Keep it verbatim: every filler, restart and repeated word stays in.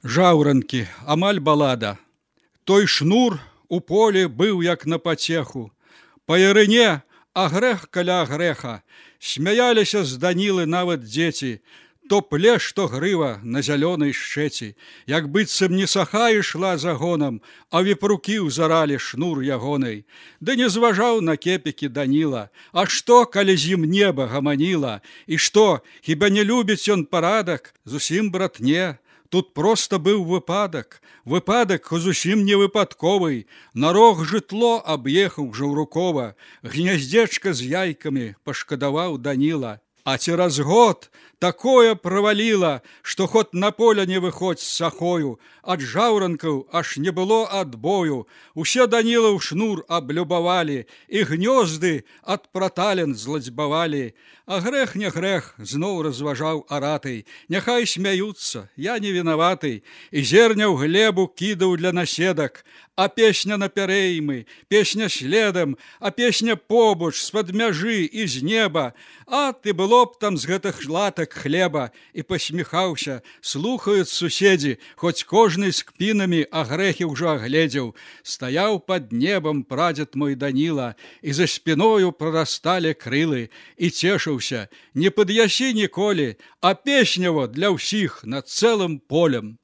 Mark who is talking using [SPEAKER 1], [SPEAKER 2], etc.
[SPEAKER 1] Жаўранкі, амаль балада. Той шнур у полі быў як на пацеху. Па ярыне, а грэх каля грэха. Смяяліся з Данілы нават дзеці. То плеш, то грыва на зялёнай шчэці. Як быццам не саха ішла загонам, а вепрукі ўзаралі шнур ягонай. Ды не зважаў на кепікі Даніла. А што, калі з ім неба гаманіла? І што, хіба не любіць ён парадак? Зусім, брат, не. Тут проста быў выпадак. Выпадак зусім не выпадковы. На рог жытло аб'ехаў жаўрукова. Гняздзечка з яйкамі пашкадаваў Даніла. А цераз год такое праваліла, што ход на поле не выходзь з сахою. Ад жаўранкаў аж не было адбою. Усе Даніла ў шнур аблюбавалі, і гнёзды ад пратален зладзьбавалі. А грэх не грэх, зноў разважаў аратый. Няхай смяюцца, я не вінаваты. І зерня ў глебу кідаў для наседак. А песня напярэймы, песня следам, а песня побач, з-пад мяжы і з неба. А ты было б там з гэтых латак хлеба. І пасміхаўся, слухаюць суседзі, хоць кожны з кпінамі а грэхі ўжо агледзеў. Стаяў пад небам прадзед мой Даніла, і за спіною прарасталі крылы, і цешыўся, не пад'ясі ніколі, а песняво для ўсіх над цэлым полем.